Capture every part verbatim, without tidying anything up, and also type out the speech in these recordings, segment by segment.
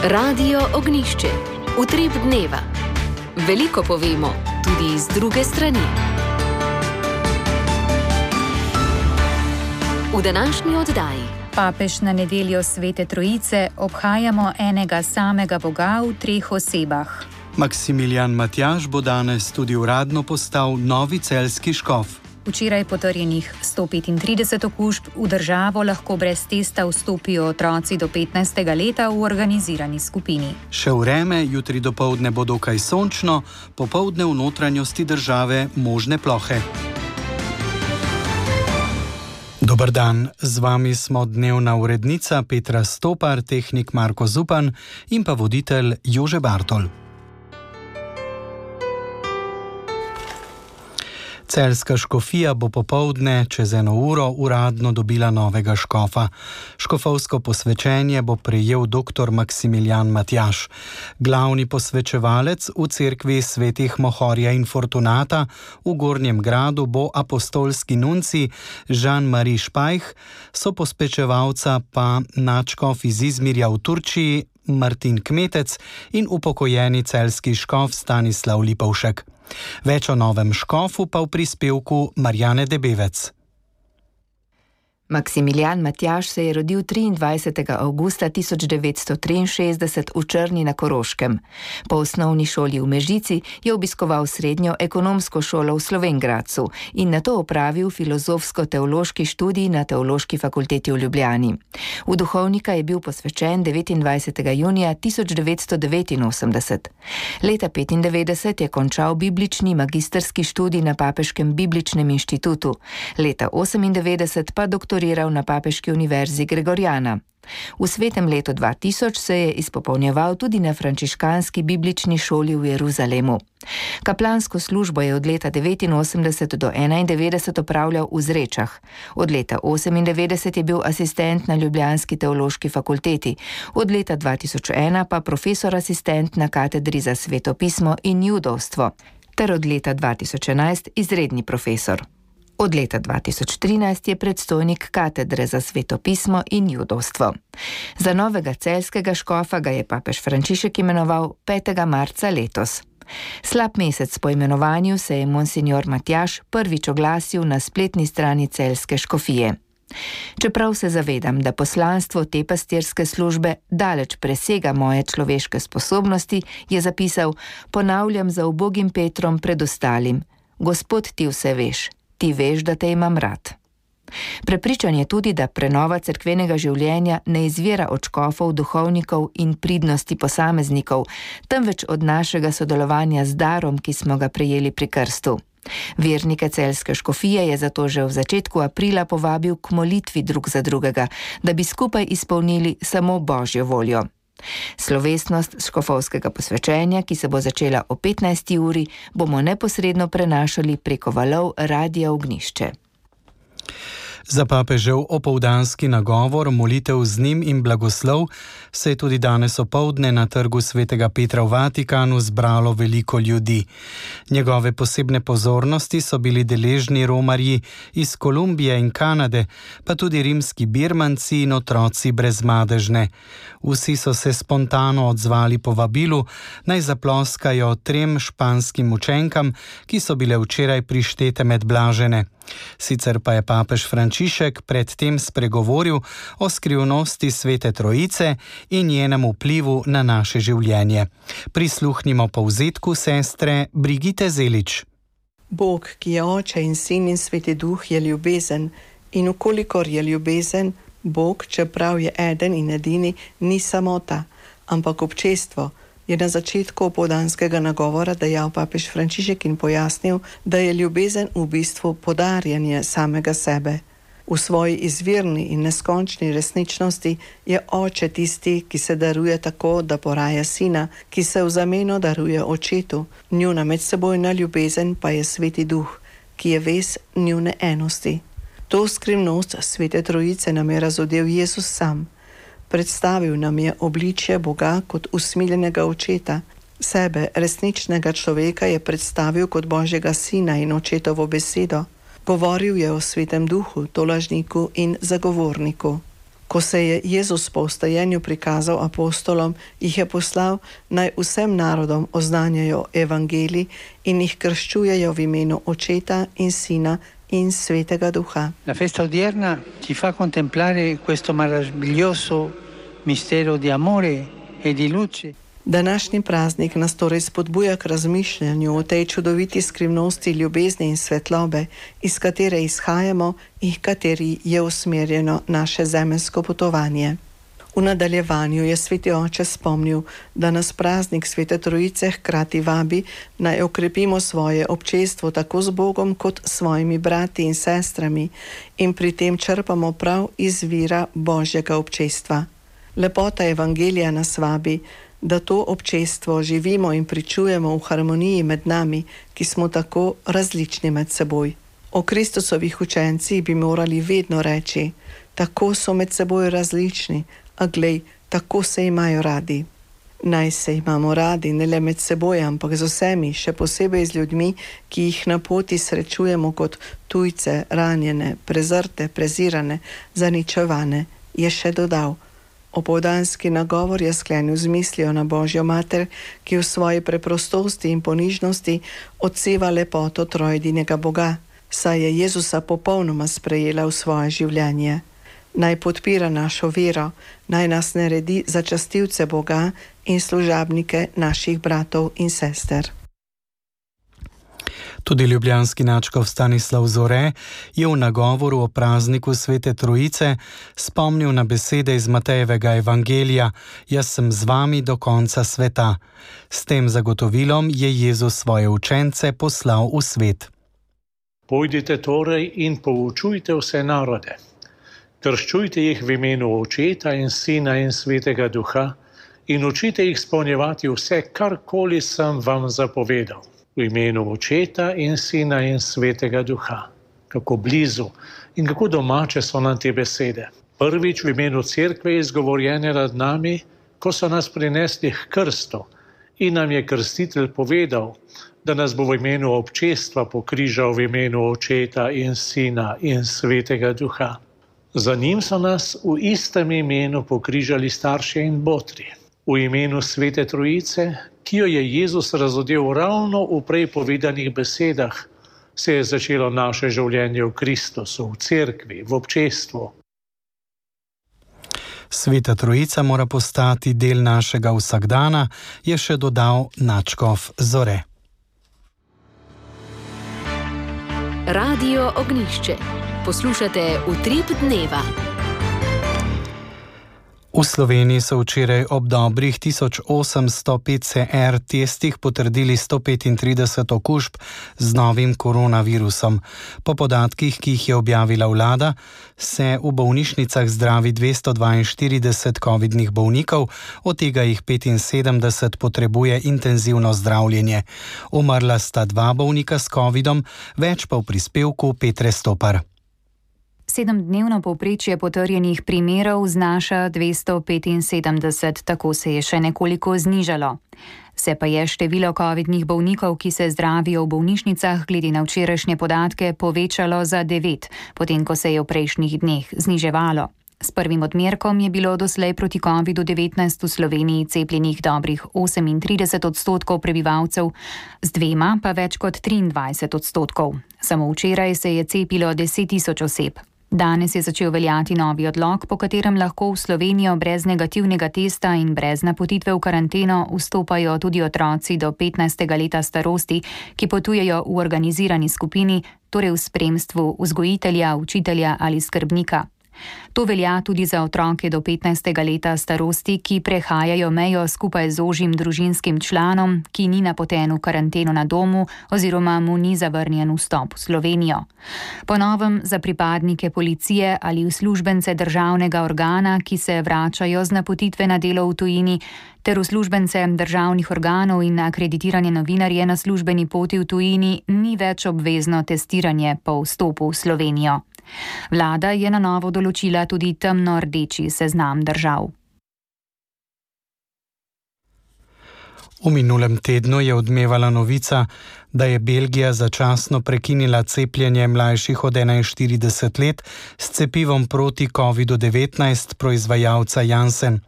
Radio Ognišče, utrip dneva. Veliko povemo, tudi iz druge strani. V današnji oddaji. Papež na nedeljo Svete Trojice obhajamo enega samega Boga v treh osebah. Maksimilijan Matjaž bo danes tudi uradno postal novi celjski škof. Včeraj potrjenih sto petintrideset okužb, v državo lahko brez testa vstopijo otroci do petnajstega leta v organizirani skupini. Še vreme, jutri dopoldne bo dokaj sončno, popoldne v notranjosti države možne plohe. Dober dan, z vami smo dnevna urednica Petra Stopar, tehnik Marko Zupan in pa voditelj Jože Bartol. Celjska škofija bo popoldne čez eno uro uradno dobila novega škofa. Škofovsko posvečenje bo prejel dr. Maksimilijan Matjaž. Glavni posvečevalec v cerkvi svetih Mohorja in Fortunata v Gornjem Gradu bo apostolski nunci Jean-Marie Špajh, sopospečevalca pa nadškof iz Izmirja v Turčiji Martin Kmetec in upokojeni celjski škof Stanislav Lipovšek. Več o novem škofu pa v prispevku Marjane Debevec. Maksimilijan Matjaž se je rodil triindvajsetega avgusta tisoč devetsto triinšestdeset v Črni na Koroškem. Po osnovni šoli v Mežici je obiskoval srednjo ekonomsko šolo v Slovenj Gradcu in nato opravil filozofsko-teološki študij na Teološki fakulteti v Ljubljani. V duhovnika je bil posvečen devetindvajsetega junija tisoč devetsto devetinosemdeset. Leta petindevetdeset je končal biblični magistrski študij na Papeškem bibličnem inštitutu. Leta osemindevetdeset pa doktor na Papeški univerzi Gregorjana. V svetem letu dva tisoč se je izpopolnjeval tudi na frančiškanski biblični šoli v Jeruzalemu. Kaplansko službo je od leta devetinosemdeset do enaindevetdeset opravljal v Zrečah. Od leta osemindevetdeset je bil asistent na Ljubljanski teološki fakulteti, od leta dva tisoč ena pa profesor asistent na katedri za svetopismo in judovstvo, ter od leta dva tisoč enajst izredni profesor. Od leta dva tisoč trinajst je predstojnik katedre za svetopismo in judovstvo. Za novega celjskega škofa ga je papež Frančišek imenoval petega marca letos. Slab mesec po imenovanju se je monsignor Matjaž prvič oglasil na spletni strani celjske škofije. Čeprav se zavedam, da poslanstvo te pastirske službe daleč presega moje človeške sposobnosti, je zapisal: ponavljam za ubogim Petrom pred ostalim: Gospod, ti vse veš. Ti veš, da te imam rad. Prepričan je tudi, da prenova cerkvenega življenja ne izvira od škofov, duhovnikov in pridnosti posameznikov, temveč od našega sodelovanja z darom, ki smo ga prejeli pri krstu. Vernike celjske škofije je zato že v začetku aprila povabil k molitvi drug za drugega, da bi skupaj izpolnili samo Božjo voljo. Slovesnost škofovskega posvečenja, ki se bo začela o petnajsti uri, bomo neposredno prenašali preko valov Radia Ognišče. Za papežev opoldanski nagovor, molitev z njim in blagoslov se je tudi danes opoldne na trgu svetega Petra v Vatikanu zbralo veliko ljudi. Njegove posebne pozornosti so bili deležni romarji iz Kolumbije in Kanade, pa tudi rimski birmanci in otroci brezmadežne. Vsi so se spontano odzvali povabilu, naj zaploskajo trem španskim učenkam, ki so bile včeraj prištete med blažene. Sicer pa je papež Frančišek predtem spregovoril o skrivnosti Svete Trojice in njenem vplivu na naše življenje. Prisluhnimo povzetku sestre Brigite Zelič. Bog, ki je Oče in Sin in Sveti Duh, je ljubezen, in ukolikor je ljubezen, Bog, čeprav je eden in edini, ni samota, ampak občestvo, je na začetku opoldanskega nagovora dejal papež Frančišek in pojasnil, da je ljubezen v bistvu podarjanje samega sebe. V svoji izvirni in neskončni resničnosti je Oče tisti, ki se daruje tako, da poraja Sina, ki se v zameno daruje Očetu. Njuna medsebojna ljubezen pa je Sveti Duh, ki je vez njune enosti. To skrivnost Svete Trojice nam je razodel Jezus sam. Predstavil nam je obličje Boga kot usmiljenega očeta. Sebe, resničnega človeka, je predstavil kot Božjega Sina in Očetovo besedo. Govoril je o Svetem Duhu, tolažniku in zagovorniku. Ko se je Jezus po vstajenju prikazal apostolom, jih je poslal, naj vsem narodom oznanjajo evangelij in jih krščujejo v imenu Očeta in Sina in Svetega Duha. La festa odierna ci fa contemplare questo meraviglioso mistero di amore e di luce. Današnji praznik nas torej spodbuja k razmišljanju o tej čudoviti skrivnosti ljubezni in svetlobe, iz katere izhajamo in kateri je usmerjeno naše zemeljsko potovanje. V nadaljevanju je Sveti Oče spomnil, da nas praznik Svete Trojice hkrati vabi, naj okrepimo svoje občestvo tako z Bogom kot s svojimi brati in sestrami in pri tem črpamo prav iz vira Božjega občestva. Lepota evangelija nas vabi, da to občestvo živimo in pričujemo v harmoniji med nami, ki smo tako različni med seboj. O Kristusovih učencih bi morali vedno reči, tako so med seboj različni, a glej, tako se imajo radi. Naj se imamo radi ne le med seboj, ampak z vsemi, še posebej z ljudmi, ki jih na poti srečujemo kot tujce, ranjene, prezrte, prezirane, zaničevane, je še dodal. Opoldanski nagovor je sklenil z mislijo na Božjo mater, ki v svoji preprostosti in ponižnosti odseva lepoto trojedinega Boga, saj je Jezusa popolnoma sprejela v svoje življenje. Naj podpira našo vero, naj nas naredi za častilce Boga in služabnike naših bratov in sester. Tudi ljubljanski nadškof Stanislav Zore je v nagovoru o prazniku Svete Trojice spomnil na besede iz Matejevega evangelija: Jaz sem z vami do konca sveta. S tem zagotovilom je Jezus svoje učence poslal v svet. Pojdite torej in poučujte vse narode. Krščujte jih v imenu Očeta in Sina in Svetega Duha in učite jih izpolnjevati vse, karkoli sem vam zapovedal. V imenu Očeta in Sina in Svetega Duha. Kako blizu in kako domače so nam te besede. Prvič v imenu Cerkve izgovorjene nad nami, ko so nas prinesli k krstu in nam je krstitelj povedal, da nas bo v imenu občestva pokrižal v imenu Očeta in Sina in Svetega Duha. Za njim so nas v istem imenu pokrižali starši in botri. V imenu Svete Trojice, ki jo je Jezus razodel ravno v prej povedanih besedah, se je začelo naše življenje v Kristusu, v cerkvi, v občestvu. Sveta Trojica mora postati del našega vsakdana, je še dodal nadškof Zore. Radio Ognjišče. Poslušate Utrip dneva. V Sloveniji so včeraj ob dobrih tisoč osemsto P C R testih potrdili sto petintrideset okužb z novim koronavirusom. Po podatkih, ki jih je objavila vlada, se v bolnišnicah zdravi dvesto dvainštirideset covidnih bolnikov, od tega jih petinsedemdeset potrebuje intenzivno zdravljenje. Umrla sta dva bolnika s covidom, več pa v prispevku Petre Stopar. Sedemdnevno povprečje potrjenih primerov znaša dvesto petinsedemdeset, tako se je še nekoliko znižalo. Se pa je število covidnih bolnikov, ki se zdravijo v bolnišnicah, glede na včerajšnje podatke povečalo za devet, potem ko se je v prejšnjih dneh zniževalo. S prvim odmerkom je bilo doslej proti covidu devetnajst v Sloveniji cepljenih dobrih osemintrideset odstotkov prebivalcev, z dvema pa več kot triindvajset odstotkov. Samo včeraj se je cepilo deset tisoč oseb. Danes je začel veljati novi odlok, po katerem lahko v Slovenijo brez negativnega testa in brez napotitve v karanteno vstopajo tudi otroci do petnajstega leta starosti, ki potujejo v organizirani skupini, torej v spremstvu vzgojitelja, učitelja ali skrbnika. To velja tudi za otroke do petnajstega leta starosti, ki prehajajo mejo skupaj z ožjim družinskim članom, ki ni napoten v karanteno na domu oziroma mu ni zavrnjen vstop v Slovenijo. Po novem za pripadnike policije ali uslužbence državnega organa, ki se vračajo z napotitve na delo v tujini, ter uslužbence državnih organov in akreditirane novinarje na službeni poti v tujini, ni več obvezno testiranje po vstopu v Slovenijo. Vlada je na novo določila tudi temno-rdeči seznam držav. V minulem tednu je odmevala novica, da je Belgija začasno prekinila cepljenje mlajših od enainštirideset let s cepivom proti kovidu devetnajst proizvajalca Janssen.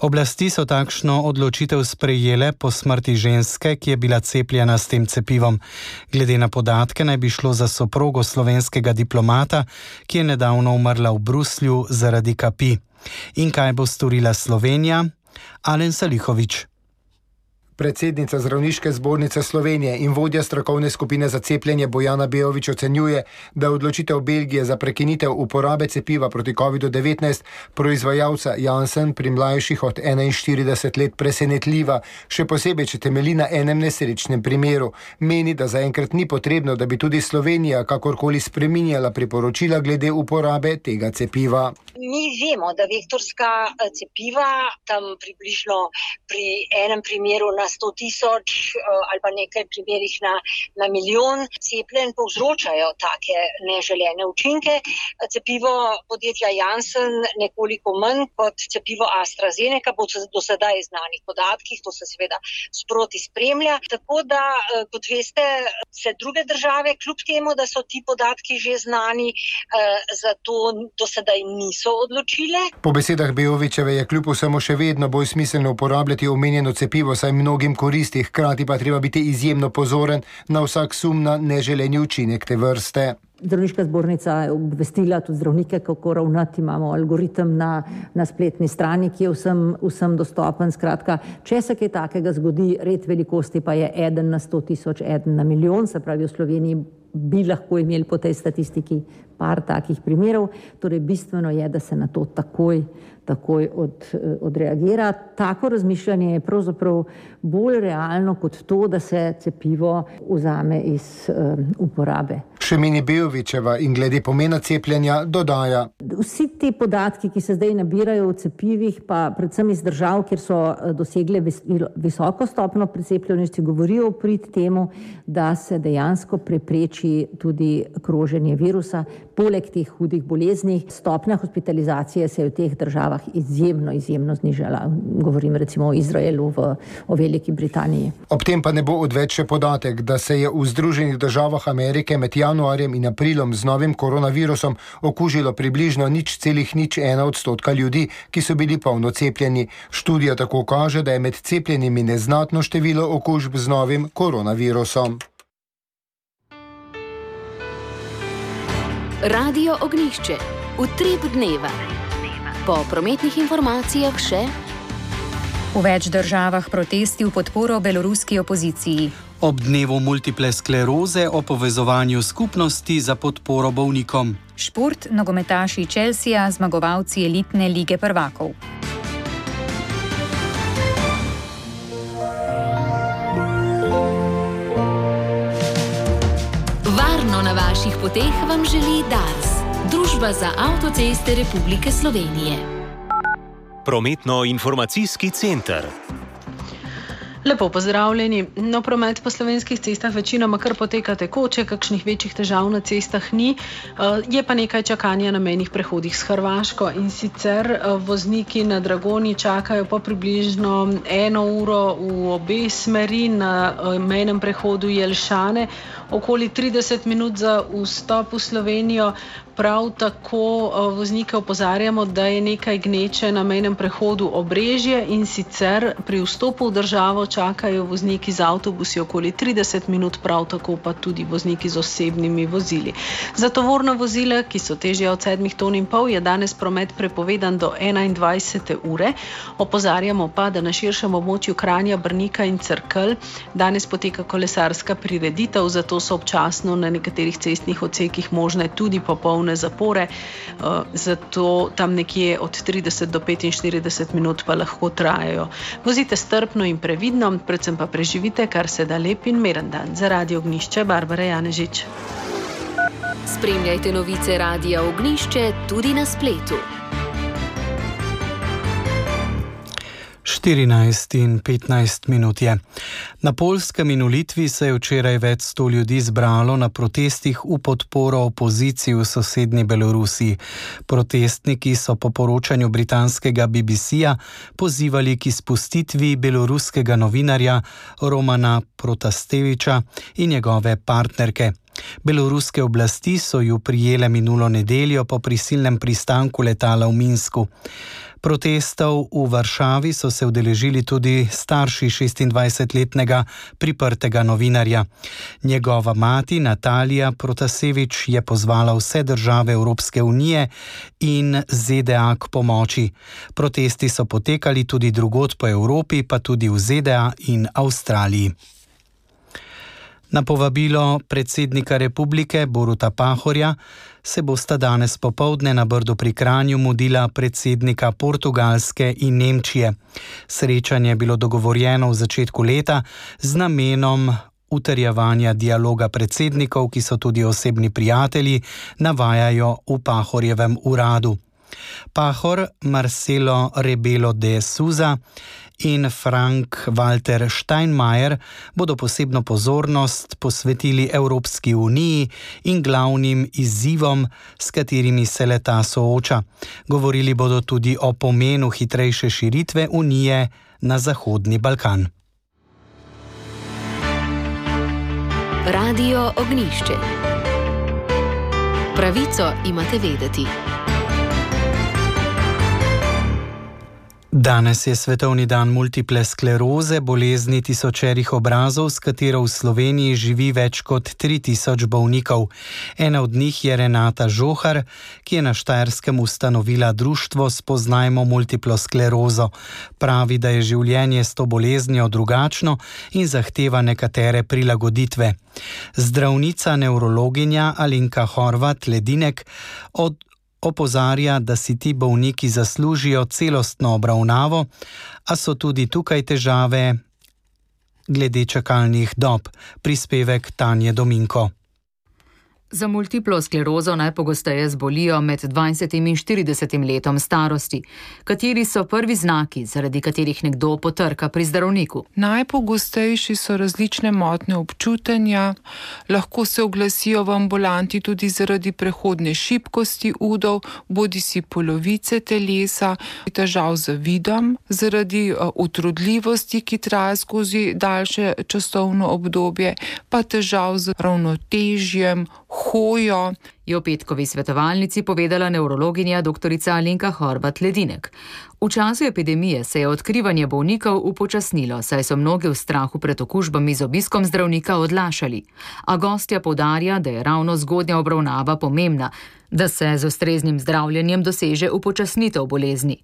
Oblasti so takšno odločitev sprejele po smrti ženske, ki je bila cepljena s tem cepivom. Glede na podatke naj bi šlo za soprogo slovenskega diplomata, ki je nedavno umrla v Bruslju zaradi kapi. In kaj bo storila Slovenija? Alen Salihović. Predsednica Zdravniške zbornice Slovenije in vodja strokovne skupine za cepljenje Bojana Bejović ocenjuje, da odločitev Belgije za prekinitev uporabe cepiva proti kovidu devetnajst proizvajalca Janssen pri mlajših od enainštirideset let presenetljiva, še posebej, če temelji na enem nesrečnem primeru. Meni, da zaenkrat ni potrebno, da bi tudi Slovenija kakorkoli spreminjala priporočila glede uporabe tega cepiva. Mi vemo, da vektorska cepiva tam približno pri enem primeru na sto tisoč ali pa nekaj primerih na, na milijon cepljenj povzročajo take neželene učinke. Cepivo podjetja Janssen nekoliko manj kot cepivo AstraZeneca, po do sedaj znanih podatkih, to se seveda sproti spremlja. Tako da, kot veste, se druge države, kljub temu, da so ti podatki že znani, zato do sedaj niso odločile. Po besedah Bejovićeve je kljub vsemu še vedno bolj smiselno uporabljati omenjeno cepivo, saj mnogim koristi, hkrati pa treba biti izjemno pozoren na vsak sum na neželeni učinek te vrste. Zdravniška zbornica je obvestila tudi zdravnike, kako ravnati. Imamo algoritem na, na spletni strani, ki je vsem, vsem dostopen. Skratka, če se kaj takega zgodi, red velikosti pa je eden na sto tisoč, eden na milijon, se pravi v Sloveniji bi lahko imeli po tej statistiki par takih primerov. Torej, bistveno je, da se na to takoj, takoj od, odreagira. Tako razmišljanje je pravzaprav bolj realno kot to, da se cepivo vzame iz um, uporabe. Še meni Bejovićeva in glede pomena cepljenja dodaja. Vsi ti podatki, ki se zdaj nabirajo v cepivih, pa predvsem iz držav, kjer so dosegle visoko stopnjo precepljenosti, govorijo v prid temu, da se dejansko prepreči tudi kroženje virusa. Poleg teh hudih bolezni, stopnja hospitalizacije se je v teh državah izjemno, izjemno znižala. Govorim recimo o Izraelu, v, o Veliki Britaniji. Ob tem pa ne bo odveč še podatek, da se je v Združenih državah Amerike med januarjem in aprilom z novim koronavirusom okužilo približno nič celih nič ena odstotka ljudi, ki so bili polno cepljeni. Študija tako kaže, da je med cepljenimi neznatno število okužb z novim koronavirusom. Radio Ognjišče. Utrip dneva. Po prometnih informacijah še. V več državah protesti v podporo beloruski opoziciji. Ob dnevu multiple skleroze o povezovanju skupnosti za podporo bolnikom. Šport, nogometaši Chelsea, zmagovalci elitne lige prvakov. Varno na vaših poteh vam želi Dars, Družba za avtoceste Republike Slovenije. Prometno-informacijski center. Lepo pozdravljeni. No, promet po slovenskih cestah večinoma kar poteka tekoče, kakšnih večjih težav na cestah ni. Je pa nekaj čakanja na mejnih prehodih s Hrvaško in sicer vozniki na Dragoni čakajo po približno eno uro v obe smeri, na mejnem prehodu Jelšane, okoli trideset minut za vstop v Slovenijo. Prav tako voznike opozarjamo, da je nekaj gneče na mejnem prehodu Obrežje in sicer pri vstopu v državo čakajo vozniki z avtobusi okoli trideset minut, prav tako pa tudi vozniki z osebnimi vozili. Za tovorna vozila, ki so težja od sedmih ton in pol, je danes promet prepovedan do enaindvajsete ure. Opozarjamo pa, da na širšem območju Kranja, Brnika in Cerkelj danes poteka kolesarska prireditev, zato so občasno na nekaterih cestnih odsekih možne tudi popolne zapore, zato tam nekje od trideset do petinštirideset minut pa lahko trajajo. Vozite strpno in previdno, predvsem pa preživite kar se da lep in miren dan. Za Radio Ognjišče, Barbara Janežič. Spremljajte novice Radia Ognjišče tudi na spletu. štirinajst in petnajst minut je. Na Poljskem in v Litvi se je včeraj več sto ljudi zbralo na protestih v podporo opoziciji v sosednji Belorusiji. Protestniki so po poročanju britanskega B B C-ja pozivali k izpustitvi beloruskega novinarja Romana Protaseviča in njegove partnerke. Beloruske oblasti so ju prijele minulo nedeljo po prisilnem pristanku letala v Minsku. Protestov v Varšavi so se udeležili tudi starši šestindvajsetletnega priprtega novinarja. Njegova mati Natalija Protasevič je pozvala vse države Evropske unije in Z D A k pomoči. Protesti so potekali tudi drugod po Evropi, pa tudi v Z D A in Avstraliji. Na povabilo predsednika republike Boruta Pahorja se bosta danes popoldne na Brdu pri Kranju mudila predsednika Portugalske in Nemčije. Srečanje je bilo dogovorjeno v začetku leta z namenom utrjevanja dialoga predsednikov, ki so tudi osebni prijatelji, navajajo v Pahorjevem uradu. Pahor, Marcelo Rebelo de Sousa in Frank-Walter Steinmeier bodo posebno pozornost posvetili Evropski uniji in glavnim izzivom, s katerimi se le-ta sooča. Govorili bodo tudi o pomenu hitrejše širitve unije na Zahodni Balkan. Radio Ognjišče. Pravico imate vedeti. Danes je svetovni dan multiple skleroze, bolezni tisočerih obrazov, s katero v Sloveniji živi več kot tri tisoč bolnikov. Ena od njih je Renata Žohar, ki je na Štajerskem ustanovila društvo Spoznajmo multiplo sklerozo. Pravi, da je življenje s to boleznijo drugačno in zahteva nekatere prilagoditve. Zdravnica nevrologinja Alenka Horvat Ledinek od opozarja, da si ti bolniki zaslužijo celostno obravnavo, a so tudi tukaj težave glede čakalnih dob. Prispevek Tanje Dominko. Za multiplo sklerozo najpogosteje zbolijo med dvajsetim in štiridesetim letom starosti. Kateri so prvi znaki, zaradi katerih nekdo potrka pri zdravniku? Najpogostejši so različne motnje občutenja, lahko se oglasijo v ambulanti tudi zaradi prehodne šibkosti udov, bodisi polovice telesa, težav z vidom, zaradi utrudljivosti, ki traja skozi daljše časovno obdobje, pa težav z ravnotežjem, hojo, je v petkovi svetovalnici povedala nevrologinja doktorica Alenka Horvat Ledinek. V času epidemije se je odkrivanje bolnikov upočasnilo, saj so mnogi v strahu pred okužbami z obiskom zdravnika odlašali. A gostja poudarja, da je ravno zgodnja obravnava pomembna, da se z ustreznim zdravljenjem doseže upočasnitev bolezni.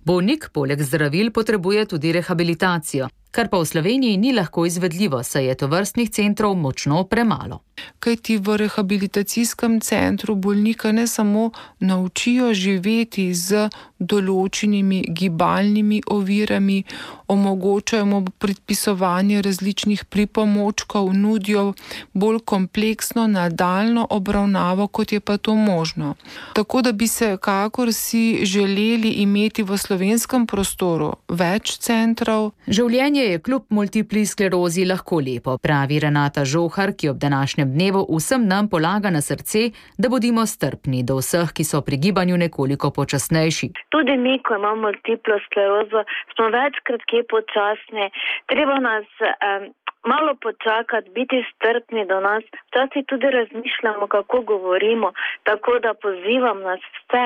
Bolnik poleg zdravil potrebuje tudi rehabilitacijo, kar pa v Sloveniji ni lahko izvedljivo, saj je tovrstnih centrov močno premalo. Kajti v rehabilitacijskem centru bolnika ne samo naučijo živeti z določenimi gibalnimi ovirami, omogočajo mu predpisovanje različnih pripomočkov, nudijo bolj kompleksno nadaljnjo obravnavo, kot je pa to možno. Tako da bi se kakor si želeli imeti v slovenskem prostoru več centrov. Življenje je kljub multipli sklerozi lahko lepo, pravi Renata Žohar, ki ob današnjem dnevu vsem nam polaga na srce, da bodimo strpni do vseh, ki so pri gibanju nekoliko počasnejši. Tudi mi, ko imamo multiplo sklerozo, smo večkrat kje počasni. Treba nas um, malo počakati, biti strpni do nas. Včasih tudi razmišljamo, kako govorimo, tako da pozivam nas vse,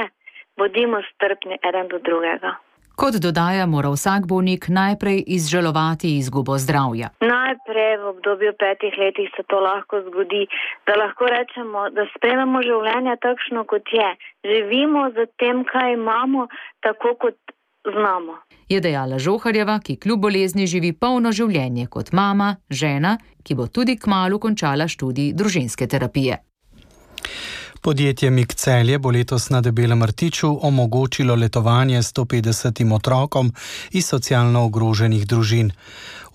bodimo strpni eden do drugega. Kot dodaja, mora vsak bolnik najprej izžalovati izgubo zdravja. Najprej v obdobju petih letih se to lahko zgodi, da lahko rečemo, da sprejmemo življenje takšno, kot je. Živimo z tem, kaj imamo, tako kot znamo. Je dejala Žoharjeva, ki kljub bolezni živi polno življenje kot mama, žena, ki bo tudi kmalu končala študij družinske terapije. Podjetje Mik Celje bo letos na Debelem rtiču omogočilo letovanje sto petdesetim otrokom iz socialno ogroženih družin.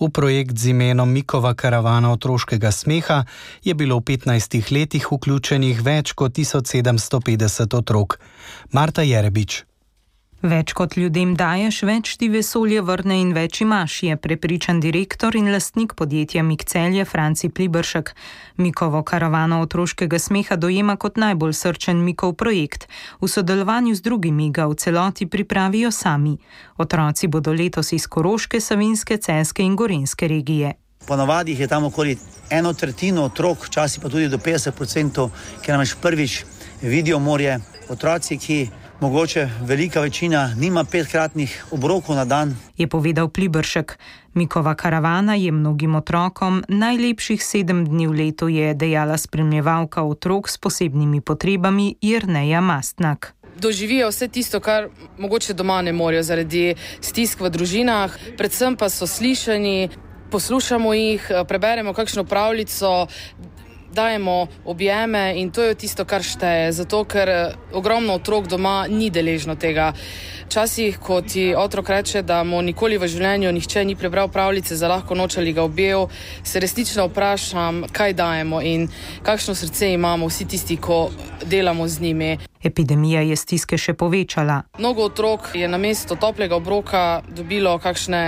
V projekt z imenom Mikova karavana otroškega smeha je bilo v petnajstih letih vključenih več kot tisoč sedemsto petdeset otrok. Marta Jerebič. Več kot ljudem daješ, več ti vesolje vrne in več imaš, je prepričan direktor in lastnik podjetja Mik Celje Franci Pliberšek. Mikovo karavano otroškega smeha dojema kot najbolj srčen Mikov projekt. V sodelovanju z drugimi ga v celoti pripravijo sami. Otroci bodo letos iz Koroške, Savinjske, Celjske in Gorenjske regije. Ponavadi je tam okoli eno tretjino otrok, včasih pa tudi do petdeset procentov, ki namreč prvič vidijo morje. Otroci, ki mogoče velika večina nima petkratnih obrokov na dan, je povedal Pliberšek. Mikova karavana je mnogim otrokom najlepših sedem dni v letu, je dejala spremljevalka otrok s posebnimi potrebami Jerneja Mastnak. Doživijo vse tisto, kar mogoče doma ne morejo zaradi stisk v družinah, predvsem pa so slišani, poslušamo jih, preberemo kakšno pravljico, dajemo objeme in to je tisto, kar šteje, zato ker ogromno otrok doma ni deležno tega. Včasih, ko ti otrok reče, da mu nikoli v življenju nihče ni prebral pravljice za lahko noč ali ga objel, se resnično vprašam, kaj dajemo in kakšno srce imamo vsi tisti, ko delamo z njimi. Epidemija je stiske še povečala. Mnogo otrok je namesto toplega obroka dobilo kakšne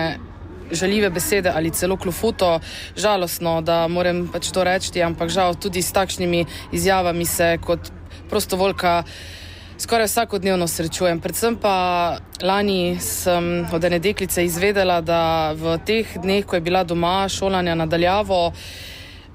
žaljive besede ali celo klofuto. Žalostno, da moram pač to reči, ampak žal tudi s takšnimi izjavami se kot prostovoljka skoraj vsakodnevno srečujem. Predvsem pa lani sem od ene deklice izvedela, da v teh dneh, ko je bila doma šolanja nadaljavo,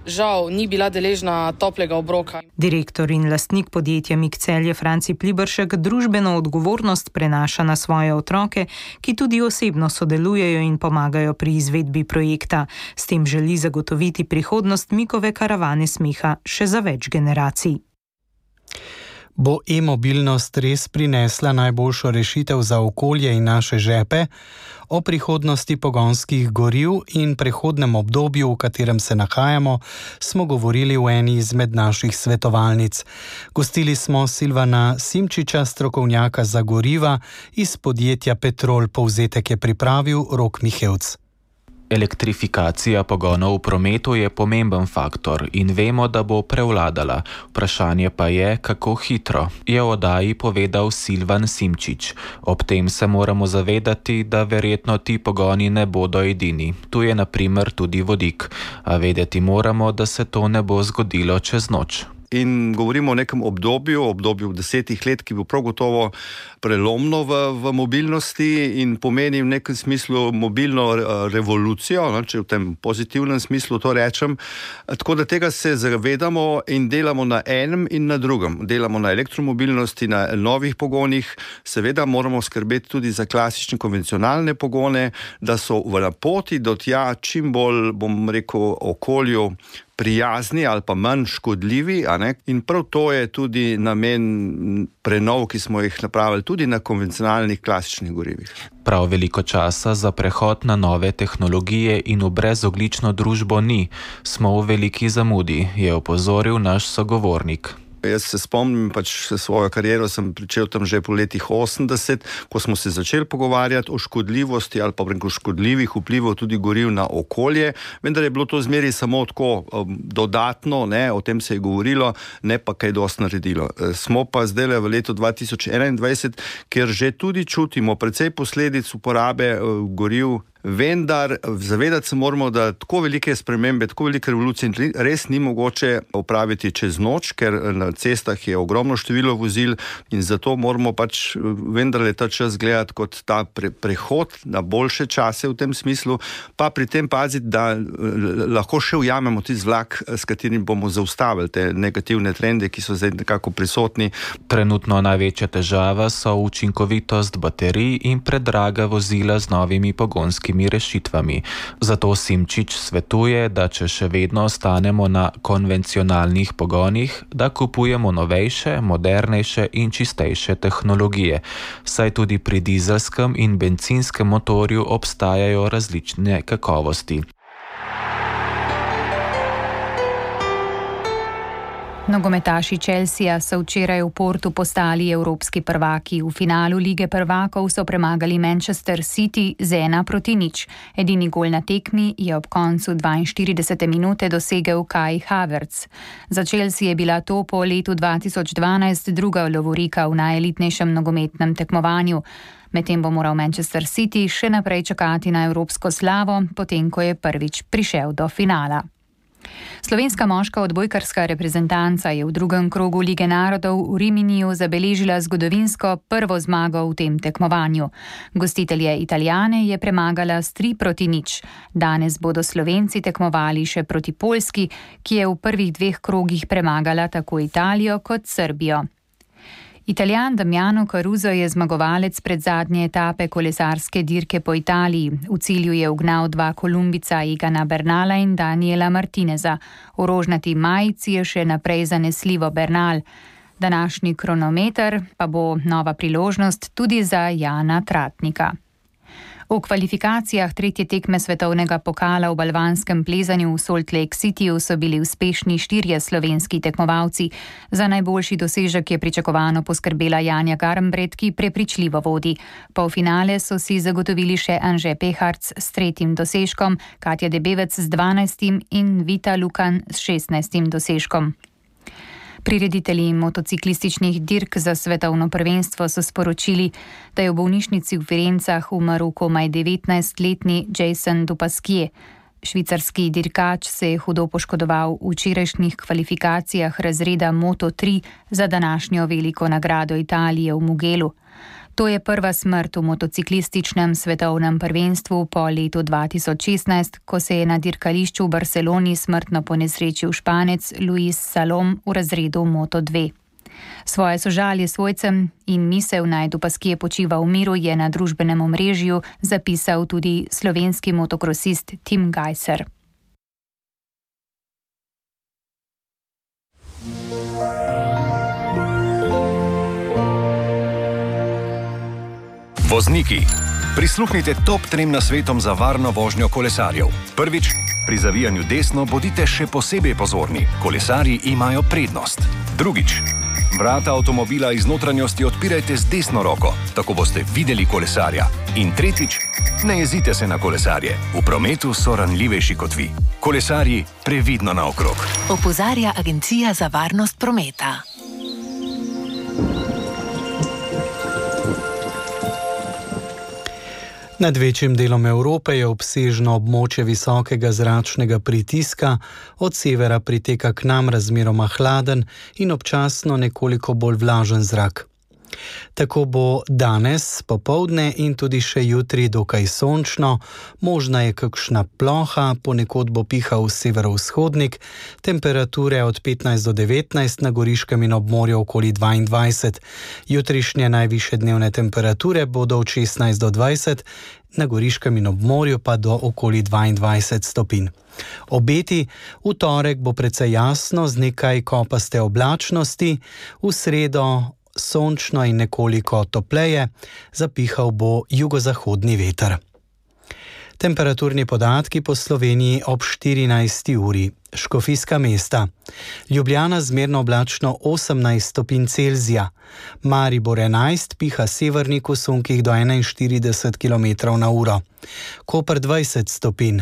žal ni bila deležna toplega obroka. Direktor in lastnik podjetja Mik Celje Franci Pliberšek družbeno odgovornost prenaša na svoje otroke, ki tudi osebno sodelujejo in pomagajo pri izvedbi projekta. S tem želi zagotoviti prihodnost Mikove karavane smeha še za več generacij. Bo e-mobilnost res prinesla najboljšo rešitev za okolje in naše žepe? O prihodnosti pogonskih goriv in prehodnem obdobju, v katerem se nahajamo, smo govorili v eni izmed naših svetovalnic. Gostili smo Silvana Simčiča, strokovnjaka za goriva iz podjetja Petrol. Povzetek je pripravil Rok Mihevc. Elektrifikacija pogonov v prometu je pomemben faktor in vemo, da bo prevladala. Vprašanje pa je, kako hitro, je v oddaji povedal Silvan Simčič. Ob tem se moramo zavedati, da verjetno ti pogoni ne bodo edini. Tu je na primer tudi vodik, a vedeti moramo, da se to ne bo zgodilo čez noč. In govorimo o nekem obdobju, obdobju desetih let, ki bo prav gotovo prelomno v, v mobilnosti in pomeni v nekem smislu mobilno revolucijo, no, če v tem pozitivnem smislu to rečem. Tako da tega se zavedamo in delamo na enem in na drugem. Delamo na elektromobilnosti, na novih pogonih. Seveda moramo skrbeti tudi za klasične konvencionalne pogone, da so v poti do tja čim bolj, bom rekel, okolju prijazni ali pa manj škodljivi, a ne? In prav to je tudi namen prenov, ki smo jih napravili tudi na konvencionalnih klasičnih gorivih. Prav veliko časa za prehod na nove tehnologije in v brezoglično družbo ni. Smo v veliki zamudi, je opozoril naš sogovornik. Jaz se spomnim, pač svojo kariero sem pričel tam že po letih osemdeset, ko smo se začeli pogovarjati o škodljivosti ali pa preko škodljivih vplivov tudi goriv na okolje, vendar je bilo to zmeri samo tako um, dodatno, ne, o tem se je govorilo, ne pa kaj dosti naredilo. Smo pa zdaj v letu dva tisoč enaindvajset, kjer že tudi čutimo precej posledic uporabe uh, goriv. Vendar zavedati se moramo, da tako velike spremembe, tako velike revolucije res ni mogoče opraviti čez noč, ker na cestah je ogromno število vozil in zato moramo pač vendarle ta čas gledati kot ta pre, prehod na boljše čase v tem smislu, pa pri tem paziti, da lahko še ujamemo tisti vlak, s katerim bomo zaustavili te negativne trende, ki so zdaj nekako prisotni. Trenutno največja težava so učinkovitost baterij in predraga vozila z novimi pogonskimi rešitvami. Zato Simčič svetuje, da če še vedno ostanemo na konvencionalnih pogonih, da kupujemo novejše, modernejše in čistejše tehnologije, saj tudi pri dizelskem in bencinskem motorju obstajajo različne kakovosti. Nogometaši Chelsea so včeraj v Portu postali evropski prvaki. V finalu Lige prvakov so premagali Manchester City z ena proti nič. Edini gol na tekmi je ob koncu dvainštiridesete minute dosegel Kai Havertz. Za Chelsea je bila to po letu dva tisoč dvanajst druga lovorika v najelitnejšem nogometnem tekmovanju. Medtem bo moral Manchester City še naprej čakati na evropsko slavo, potem ko je prvič prišel do finala. Slovenska moška odbojkarska reprezentanca je v drugem krogu Lige narodov v Riminiju zabeležila zgodovinsko prvo zmago v tem tekmovanju. Gostitelje Italijane je premagala s tri proti nič. Danes bodo Slovenci tekmovali še proti Poljski, ki je v prvih dveh krogih premagala tako Italijo kot Srbijo. Italijan Damiano Caruso je zmagovalec predzadnje etape kolesarske dirke po Italiji. V cilju je ugnal dva Kolumbica Egana Bernala in Daniela Martineza. V rožnati majici je še naprej zanesljivo Bernal. Današnji kronometer pa bo nova priložnost tudi za Jana Tratnika. V kvalifikacijah tretje tekme svetovnega pokala v balvanskem plezanju v Salt Lake Cityju so bili uspešni štirje slovenski tekmovalci. Za najboljši dosežek je pričakovano poskrbela Janja Garnbret, ki prepričljivo vodi. Polfinale so si zagotovili še Anže Peharc s tretjim dosežkom, Katja Debevec z dvanajstim in Vita Lukan s šestnajstim dosežkom. Prireditelji motociklističnih dirk za svetovno prvenstvo so sporočili, da je v bolnišnici v Firencah umrl komaj devetnajstletni Jason Dupasquier. Švicarski dirkač se je hudo poškodoval v včerajšnjih kvalifikacijah razreda Moto tri za današnjo veliko nagrado Italije v Mugellu. To je prva smrt v motociklističnem svetovnem prvenstvu po letu dva tisoč šestnajst, ko se je na dirkališču v Barceloni smrtno ponesrečil Španec Luis Salom v razredu Moto dve. Svoje sožalje svojcem in misel naj Dupasquier počiva v miru je na družbenem omrežju zapisal tudi slovenski motokrosist Tim Gajser. Vozniki, prisluhnite top trem nasvetom za varno vožnjo kolesarjev. Prvič, pri zavijanju desno bodite še posebej pozorni. Kolesarji imajo prednost. Drugič, vrata avtomobila iz notranjosti odpirajte z desno roko, tako boste videli kolesarja. In tretjič, ne jezite se na kolesarje. V prometu so ranljivejši kot vi. Kolesarji, previdno naokrog. Opozarja Agencija za varnost prometa. Nad večjim delom Evrope je obsežno območje visokega zračnega pritiska, od severa priteka k nam razmeroma hladen in občasno nekoliko bolj vlažen zrak. Tako bo danes, popoldne in tudi še jutri dokaj sončno, možna je kakšna ploha, ponekod bo pihal severovzhodnik, temperature od petnajst do devetnajst, na Goriškem in ob morju okoli dvaindvajset. Jutrišnje najvišje dnevne temperature bodo od šestnajst do dvajset, na Goriškem in ob morju pa do okoli dvaindvajset stopinj. Obeti: v torek bo precej jasno z nekaj kopaste oblačnosti, v sredo sončno in nekoliko topleje, zapihal bo jugozahodni veter. Temperaturni podatki po Sloveniji ob štirinajsti uri. Škofijska mesta. Ljubljana zmerno oblačno osemnajst stopinj Celzija. Maribor enajst, piha severnik v sunkih do enainštirideset kilometrov na uro. Koper dvajset stopinj.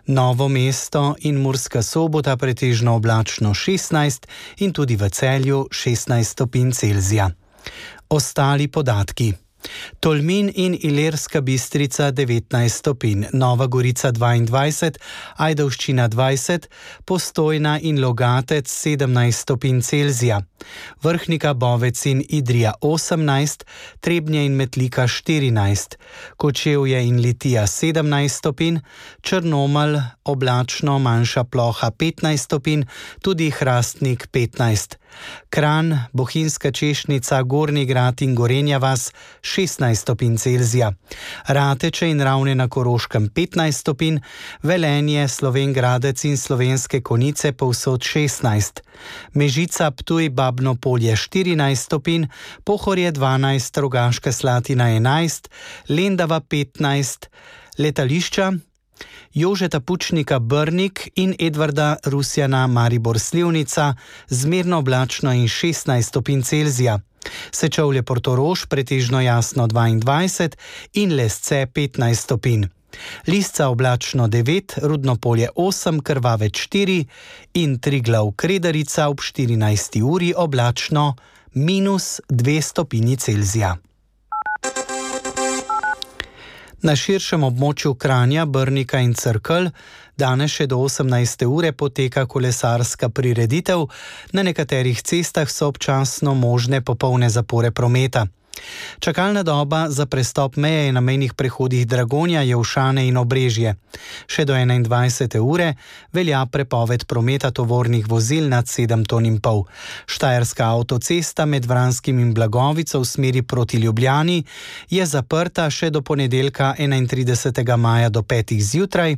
Novo mesto in Murska Sobota pretežno oblačno šestnajst in tudi v Celju šestnajst stopinj Celzija. Ostali podatki. Tolmin in Ilirska Bistrica devetnajst stopinj, Nova Gorica dvaindvajset, Ajdovščina dvajset, Postojna in Logatec sedemnajst stopinj Celzija, Vrhnika, Bovec in Idrija osemnajst, Trebnje in Metlika štirinajst, Kočevje in Litija sedemnajst stopinj, Črnomelj oblačno, manjša ploha petnajst stopinj, tudi Hrastnik petnajst. Kranj, Bohinjska Češnica, Gornji Grad in Gorenja vas šestnajst stopinj Celzija, Rateče in Ravne na Koroškem petnajst stopinj, Velenje, Slovenj Gradec in Slovenske Konjice povsod šestnajst, Mežica, Ptuj, Babno Polje štirinajst stopinj, Pohorje dvanajst, Rogaška Slatina enajst, Lendava petnajst, letališča Jožeta Pučnika Brnik in Edvarda Rusjana Maribor Slivnica zmerno oblačno in šestnajst stopinj Celzija, Sečovlje Portorož pretežno jasno dvaindvajset in Lesce petnajst stopinj. Lisca oblačno devet, Rudno Polje osem, Krvavec štiri in Triglav Kredarica ob štirinajsti uri oblačno minus dve stopinji Celzija. Na širšem območju Kranja, Brnika in Cerkelj danes še do osemnajste ure poteka kolesarska prireditev, na nekaterih cestah so občasno možne popolne zapore prometa. Čakalna doba za prestop meje na mejnih prehodih Dragonja, Jelšane in Obrežje. Še do enaindvajsete ure velja prepoved prometa tovornih vozil nad sedem ton in pol. Štajerska avtocesta med Vranskim in Blagovico v smeri proti Ljubljani je zaprta še do ponedeljka enaintridesetega maja do petih zjutraj.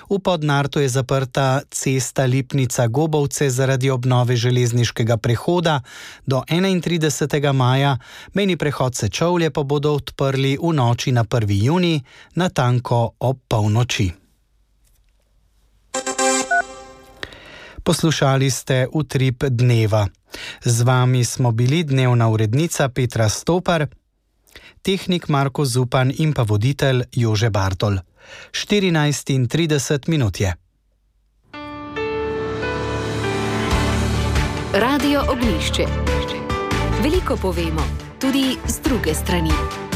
V Podnartu je zaprta cesta Lipnica-Gobovce zaradi obnove železniškega prehoda do enaintridesetega maja, mejni prehod Sečovlje pa bodo odprli v noči na prvi junij, natanko ob polnoči. Poslušali ste Utrip dneva. Z vami smo bili dnevna urednica Petra Stopar, tehnik Marko Zupan in pa voditelj Jože Bartol. štirinajst in trideset minut je. Radio Oglišče. Veliko povemo, tudi z druge strani.